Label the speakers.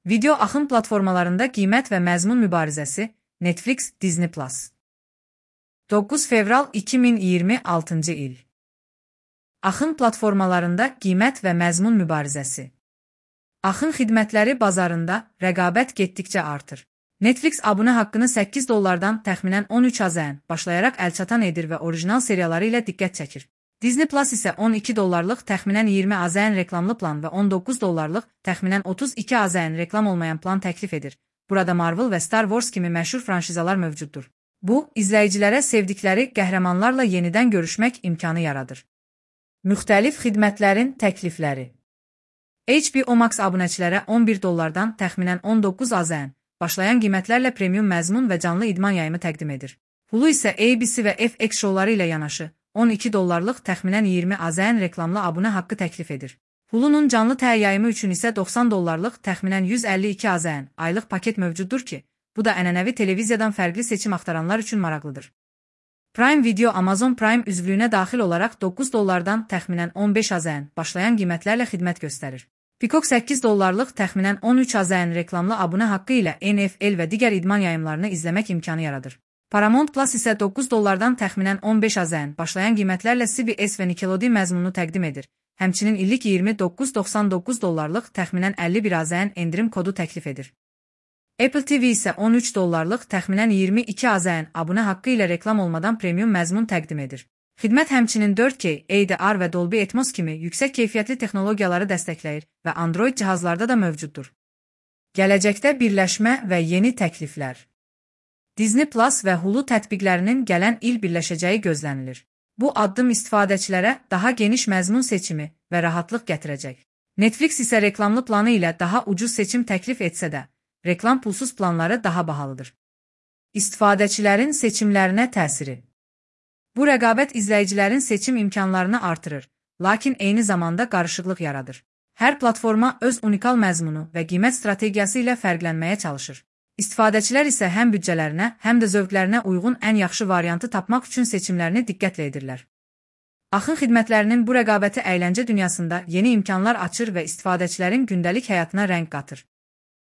Speaker 1: Video axın platformalarında qiymət və məzmun mübarizəsi, Netflix, Disney+. 9 fevral 2026 il. Axın platformalarında qiymət və məzmun mübarizəsi. Axın xidmətləri bazarında rəqabət getdikcə artır. Netflix abunə haqqını 8 dollardan təxminən 13 AZN başlayaraq əlçatan edir və orijinal seriyaları ilə diqqət çəkir. Disney Plus isə 12 dollarlıq təxminən 20 AZN reklamlı plan və 19 dollarlıq təxminən 32 AZN reklam olmayan plan təklif edir. Burada Marvel və Star Wars kimi məşhur franşizalar mövcuddur. Bu, izləyicilərə sevdikləri qəhrəmanlarla yenidən görüşmək imkanı yaradır. Müxtəlif xidmətlərin təklifləri. HBO Max abunəçilərə 11 dollardan təxminən 19 AZN başlayan qiymətlərlə premium məzmun və canlı idman yayımı təqdim edir. Hulu isə ABC və FX şouları ilə yanaşı 12 dollarlıq təxminən 20 AZN reklamlı abunə haqqı təklif edir. Hulu'nun canlı yayımı üçün isə 90 dollarlıq təxminən 152 AZN aylıq paket mövcuddur ki, bu da ənənəvi televiziyadan fərqli seçim axtaranlar üçün maraqlıdır. Prime Video Amazon Prime üzvlüyünə daxil olaraq 9 dollardan təxminən 15 AZN başlayan qiymətlərlə xidmət göstərir. Peacock 8 dollarlıq təxminən 13 AZN reklamlı abunə haqqı ilə NFL və digər idman yayımlarını izləmək imkanı yaradır. Paramount Plus isə 9 dollardan təxminən 15 AZN başlayan qiymətlərlə CBS və Nickelodeon məzmununu təqdim edir. Həmçinin illik 29.99 dollarlıq təxminən 51 AZN endirim kodu təklif edir. Apple TV isə 13 dollarlıq təxminən 22 AZN abunə haqqı ilə reklam olmadan premium məzmun təqdim edir. Xidmət həmçinin 4K, HDR və Dolby Atmos kimi yüksək keyfiyyətli texnologiyaları dəstəkləyir və Android cihazlarda da mövcuddur. Gələcəkdə birləşmə və yeni təkliflər. Disney Plus və Hulu tətbiqlərinin gələn il birləşəcəyi gözlənilir. Bu addım istifadəçilərə daha geniş məzmun seçimi və rahatlıq gətirəcək. Netflix isə reklamlı planı ilə daha ucuz seçim təklif etsə də, reklam pulsuz planları daha bahalıdır. İstifadəçilərin seçimlərinə təsiri. Bu rəqabət izləyicilərin seçim imkanlarını artırır, lakin eyni zamanda qarışıqlıq yaradır. Hər platforma öz unikal məzmunu və qiymət strategiyası ilə fərqlənməyə çalışır. İstifadəçilər isə həm büdcələrinə, həm də zövqlərinə uyğun ən yaxşı variantı tapmaq üçün seçimlərini diqqətlə edirlər. Axın xidmətlərinin bu rəqabəti əyləncə dünyasında yeni imkanlar açır və istifadəçilərin gündəlik həyatına rəng qatır.